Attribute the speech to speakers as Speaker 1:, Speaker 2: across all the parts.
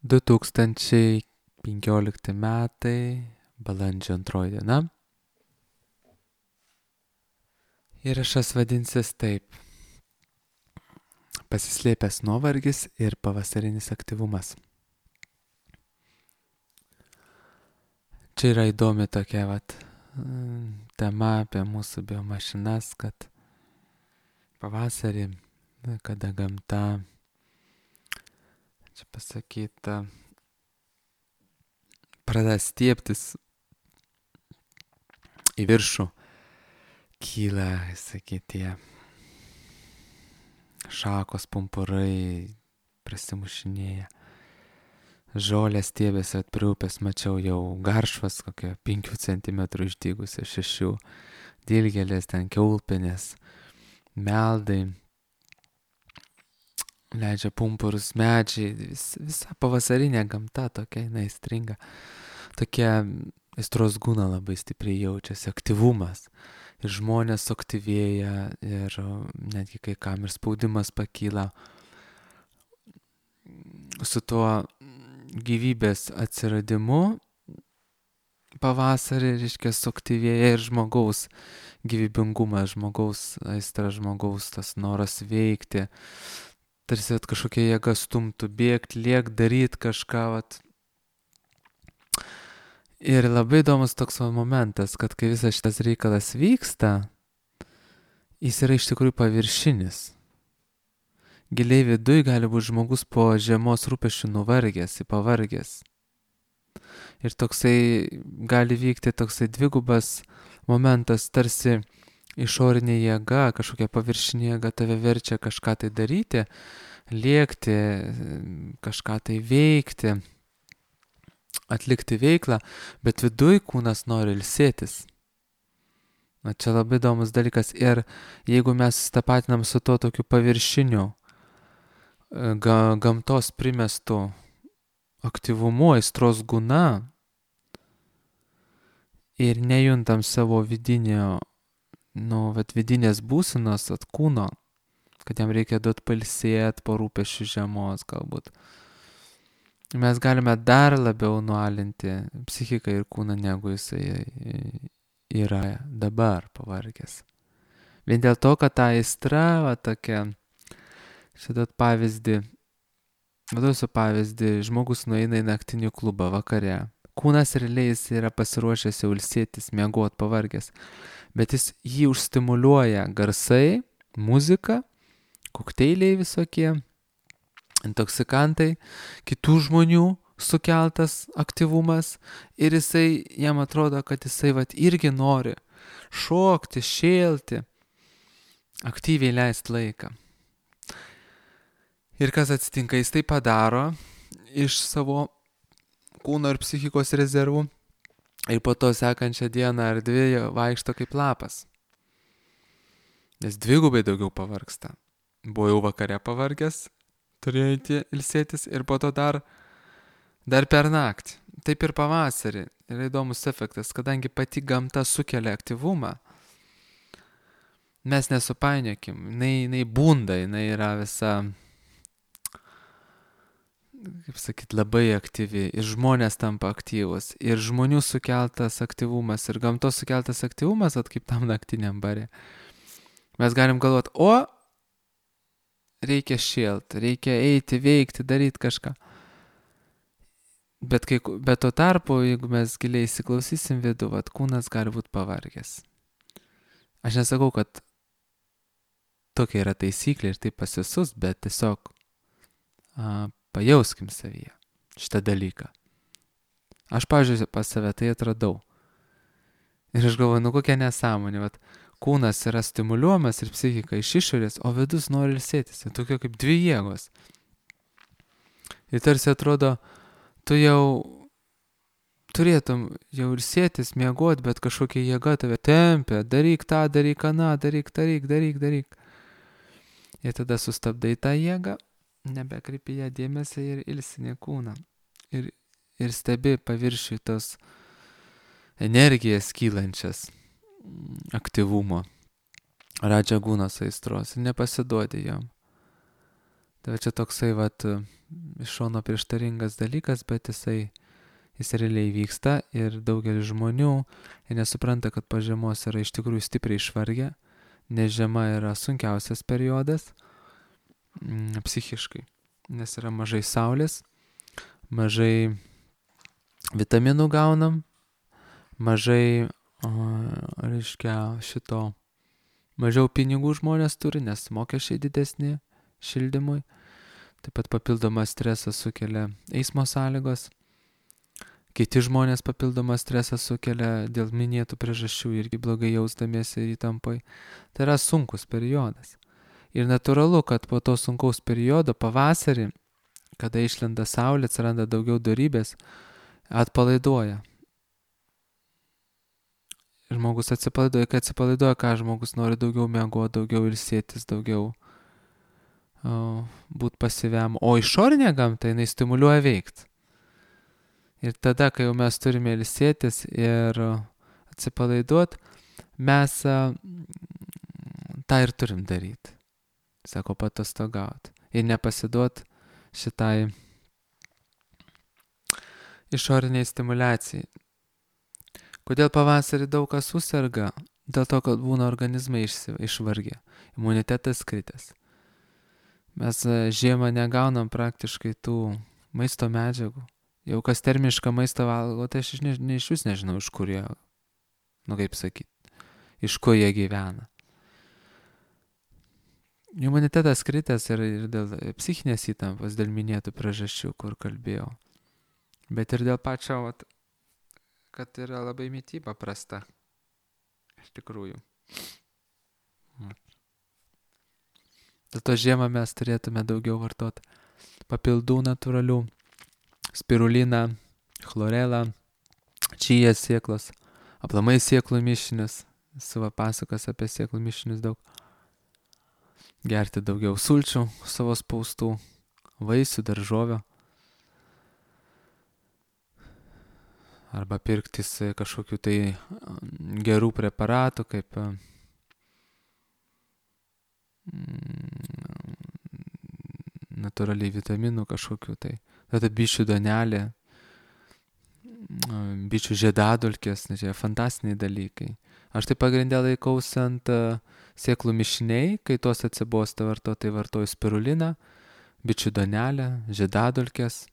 Speaker 1: 2015 metai, balandžio 2 diena. Įrašas vadinsis taip: Pasislėpęs nuovargis ir pavasarinis aktyvumas. Čia yra įdomi tokia tema apie mūsų biomašinas, kad pavasarį, kada gamta, čia pasakyta, pradeda stiebtis į viršų, kyla, sakytie, šakos, pumpurai, prasimušinėja. Žolės stiebėsi prie upės, mačiau jau garšvas, kokia 5 cm išdygusi, 6, dilgėlės, ten kiaulpienės, meldai, leidžia pumpurus medžiai, visa pavasarinė gamta tokia, jinai stringa. Tokia aistros gūna labai stipriai jaučiasi, aktyvumas. Ir žmonės suaktyvėja, ir netgi kai kam ir spaudimas pakyla. Su tuo gyvybės atsiradimu pavasarį, reiškia, suaktyvėja ir žmogaus gyvybingumas, žmogaus aistra, žmogaus tas noras veikti. Tarsi kažkokia jėga stumtų bėgti, lėkt, daryti kažką. Ir labai įdomus toks momentas, kad kai visas šitas reikalas vyksta, jis yra iš tikrųjų paviršinis. Giliai viduj gali būti žmogus po žiemos rūpesčių nuvargęs, pavargęs. Ir toksai gali vykti toksai dvigubas momentas, tarsi išorinė jėga, kažkokia paviršinė jėga tave verčia kažką tai daryti, lėkti, kažką tai veikti, atlikti veiklą, bet viduj kūnas nori ilsėtis. Čia labai įdomus dalykas. Ir jeigu mes tapatinam su to tokiu paviršiniu, gamtos primestų aktyvumu, aistros gūna, ir nejuntam savo vidinės būsenos, kūno, kad jam reikia duoti pailsėti po rūpesčių žiemos galbūt. Mes galime dar labiau nualinti psichiką ir kūną, negu jisai yra dabar pavargęs. Vien dėl to, kad ta aistra, tokia, šitą pavyzdį, duosiu pavyzdį, žmogus nueina į naktinį klubą vakare. Kūnas realiai jis yra pasiruošęs jau ilsėtis, miegot, pavargęs, bet jis jį užstimuliuoja garsai, muzika, kokteiliai visokie, intoksikantai, kitų žmonių sukeltas aktyvumas, ir jisai, jam atrodo, kad jisai irgi nori šokti, šėlti, aktyviai leisti laiką. Ir kas atsitinka, jis tai padaro iš savo kūno ir psichikos rezervų, ir po to sekančią dieną ar 2 vaikšto kaip lapas. Nes dvigubai daugiau pavargsta. Buvo jau vakare pavargęs, turėjo eiti ilsėtis, ir po to dar per naktį. Taip ir pavasarį. Yra įdomus efektas, kadangi pati gamta sukelia aktyvumą, mes nesupainiokim, jinai bunda, jinai yra visa, kaip sakyt, labai aktyvi, ir žmonės tampa aktyvus, ir žmonių sukeltas aktyvumas, ir gamtos sukeltas aktyvumas, kaip tam naktiniam bare. Mes galim galvoti, reikia šėlt, reikia eiti, veikti, daryti kažką. Bet tuo tarpu, jeigu mes giliai įsiklausysim vidų, kūnas gali būti pavargęs. Aš nesakau, kad tokia yra taisyklė ir taip pas visus, bet tiesiog pajauskim savyje šitą dalyką. Aš, pavyzdžiui, pas save tai atradau. Ir aš galvoju, kokia nesąmonė. Kūnas yra stimuliuojamas ir psichika iš išorės, o vidus nori ilsėtis. Tai tokia kaip 2 jėgos. Ir tarsi atrodo, tu jau turėtum jau ilsėtis, miegot, bet kažkokia jėga tave tempia. Daryk tą, daryk aną, daryk. Ir tada sustabdai tą jėgą, nebekreipi ją dėmesį ir ilsini kūną. Ir stebi paviršiui tos energijas kylančias, aktyvumo, radžagūnos aistros, ir nepasiduodi jom. Tai čia toksai iš šono prieštaringas dalykas, bet jis realiai vyksta ir daugelis žmonių jie nesupranta, kad po žiemos yra iš tikrųjų stipriai išvargę, nes žiema yra sunkiausias periodas psichiškai, nes yra mažai saulės, mažai vitaminų gaunam, mažai, mažiau pinigų žmonės turi, nes mokesčiai didesni šildymui, taip pat papildomą stresą sukelia eismo sąlygos. Kiti žmonės papildomą stresą sukelia dėl minėtų priežasčių irgi blogai jausdamiesi ir įtampai. Tai yra sunkus periodas. Ir natūralu, kad po to sunkaus periodo pavasarį, kada išlenda saulė, atsiranda daugiau dorybės, atpalaiduoja. Žmogus atsipalaiduoja, kai atsipalaiduoja, ką žmogus nori daugiau miegoti, daugiau ilsėtis, daugiau būti pasyviam. O išorinė gamta, jinai stimuliuoja veikti. Ir tada, kai jau mes turime ilsėtis ir atsipalaiduoti, mes tą ir turim daryti. Sako, patostogauti. Ir nepasiduoti šitai išoriniai stimulacijai. Kodėl pavasarį daug kas suserga? Dėl to, kad būna organizmai išvargę. Imunitetas kritęs. Mes žiemą negaunam praktiškai tų maisto medžiagų. Jau kas termišką maistą valgo, tai aš iš vis nežinau, iš kur jie, kaip sakyti, iš kur jie gyvena. Imunitetas kritęs ir dėl psichinės įtampos, dėl minėtų priežasčių, kur kalbėjau. Bet ir dėl pačio, kad yra labai mityba prasta. Iš tikrųjų. Dėl to žiemą mes turėtume daugiau vartoti papildų natūralių. Spiruliną, chlorelą, čijas sėklos, aplamai sėklų mišinius, esu pasakojęs apie sėklų mišinius daug. Gerti daugiau sulčių savo spaustų, vaisių, daržovių. Arba pirktis kažkokių tai gerų preparatų, kaip natūraliai vitaminų kažkokių tai. Tada bičių duonelė, bičių žiedadulkės, čia fantastiniai dalykai. Aš tai pagrindę laikausi ant sėklų mišiniai, kai tos atsibosta vartoti, tai vartoju spiruliną, bičių duonelę, žiedadulkės.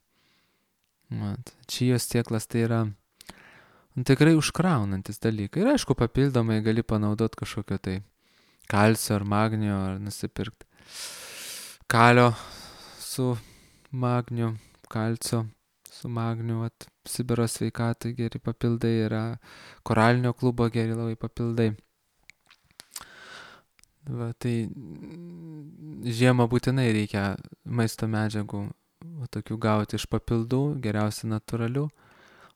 Speaker 1: Čijos sėklas tai yra tikrai užkraunantis dalykai. Ir aišku, papildomai gali panaudoti kažkokio tai kalcio ar magnio, ar nusipirkti kalio su magniu. Kalcio su magniu, Sibiro sveikatai geri papildai yra, koralinio klubo geri labai papildai. Tai žiemą būtinai reikia maisto medžiagų tokių gauti iš papildų, geriausia natūralių.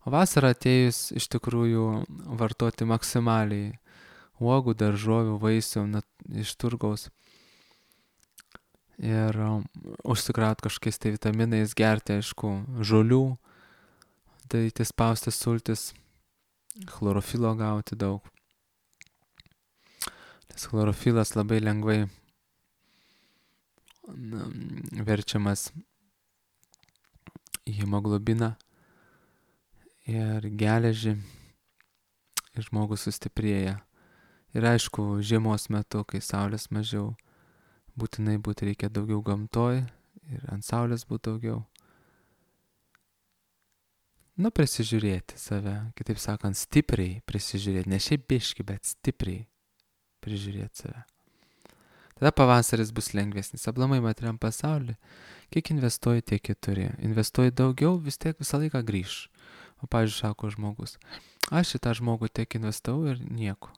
Speaker 1: O vasarą atėjus iš tikrųjų vartoti maksimaliai uogų, daržovių, vaisių iš turgaus. Ir užsikraut kažkokiais tai vitaminais, gerti, aišku, žolių, daryti spaustas sultis, chlorofilo gauti daug. Nes chlorofilas labai lengvai verčiamas į hemoglobiną ir geležį ir žmogus sustiprėja. Ir aišku, žiemos metu, kai saulės mažiau, būtinai reikia daugiau gamtoj ir ant saulės būti daugiau. Prisižiūrėti save, kitaip sakant, stipriai prisižiūrėti, ne šiaip biški, bet stipriai prižiūrėti save. Tada pavasaris bus lengvesnis, aplamai materiam pasaulį, kiek investuoji, tiek ir turi. Investuoji daugiau, vis tiek visą laiką grįš. O pavyzdžiui, sako žmogus, aš šitą žmogų tiek investavau ir nieko.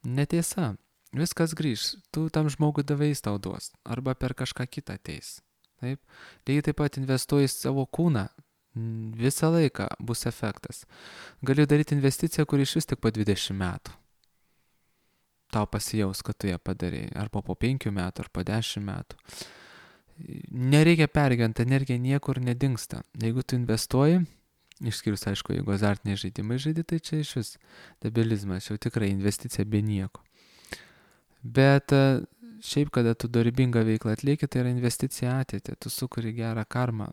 Speaker 1: Netiesa. Viskas grįž, tu tam žmogui davai, jis tau duos, arba per kažką kitą ateis. Taip? Lygiai taip pat investuoji savo kūną, visą laiką bus efektas. Gali daryti investiciją, kur iš vis tik po 20 metų. Tau pasijaus, kad tu ją padarėjai, arba po 5 metų, ar po 10 metų. Nereikia pergyventi, energija niekur nedingsta. Jeigu tu investuoji, išskyrus, aišku, jeigu azartiniai žaidimai žaidi, tai čia iš vis debilizmas, jau tikrai investicija be nieko. Bet šiaip, kada tu dorybingą veiklą atlieki, tai yra investicija į ateitį. Tu sukuri gerą karmą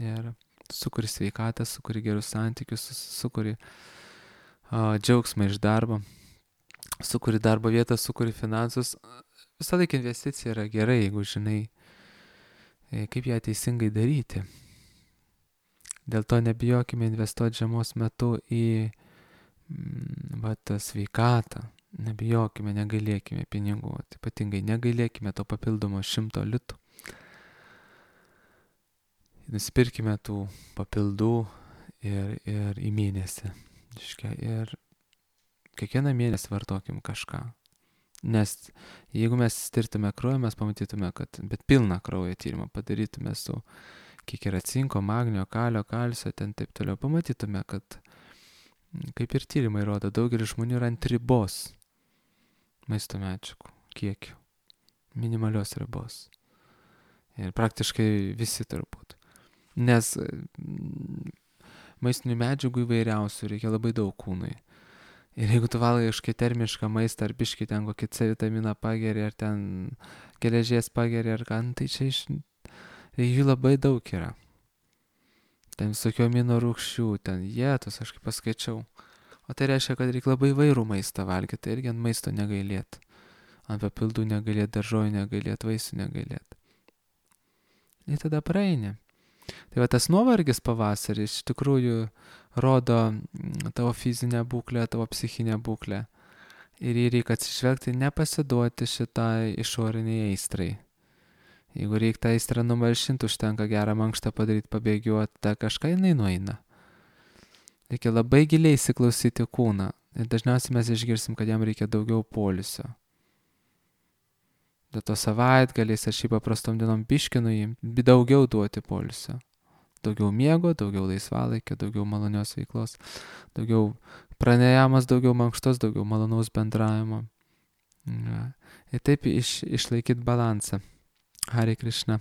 Speaker 1: ir sukuri sveikatą, sukuri gerus santykius, sukuri džiaugsmą iš darbo, sukuri darbo vietą, sukuri finansus. Visą laiką investicija yra gerai, jeigu žinai, kaip ją teisingai daryti. Dėl to nebijokime investuoti žiemos metu į sveikatą. Nebijokime, negailėkime pinigų. Ypatingai negailėkime to papildomo 100 litų. Nusipirkime tų papildų ir į mėnesį. Ir kiekvieną mėnesį vartokim kažką. Nes jeigu mes tirtume kraują, mes pamatytume, bet pilną kraujo tyrimą padarytume su kiek yra cinko, magnio, kalio, kalcio, ten taip toliau, pamatytume, kad kaip ir tyrimai rodo, daugelis žmonių yra ant ribos maisto medžiagų kiekių, minimalios ribos. Ir praktiškai visi turbūt. Nes maistinių medžiagų įvairiausių reikia labai daug kūnui. Ir jeigu tu valgai kažkokį termišką maistą, ar biškį ten kokį C vitaminą pageri, ar ten geležies pageri, ar ką, tai čia jų labai daug yra. Ten visokių amino rūgščių, ten jėtus, aš kaip paskaičiau. O tai reiškia, kad reikia labai įvairų maistą valgyti, tai irgi ant maisto negailėt. Ant papildų negailėt, daržovių negailėt, vaisių negailėt. Ir tada praeini. Tai va tas nuovargis pavasarį iš tikrųjų rodo tavo fizinę būklę, tavo psichinę būklę. Ir jį reikia atsižvelgti, nepasiduoti šitai išoriniai aistrai. Jeigu reikia tą aistrą numalšinti, užtenka gerą mankštą padaryti, pabėgiuoti, tą kažką jinai nueina. Reikia labai giliai įsiklausyti kūną. Ir dažniausiai mes išgirsim, kad jam reikia daugiau poilsio. Dėl to savaitgaliais ar šiaip paprastom dienom biškinu jį, daugiau duoti poilsio. Daugiau miego, daugiau laisvalaikio, daugiau malonios veiklos, daugiau pranejamas, daugiau mankštos, daugiau malonaus bendravimo. Ir taip išlaikyti balansą. Hare Krishna.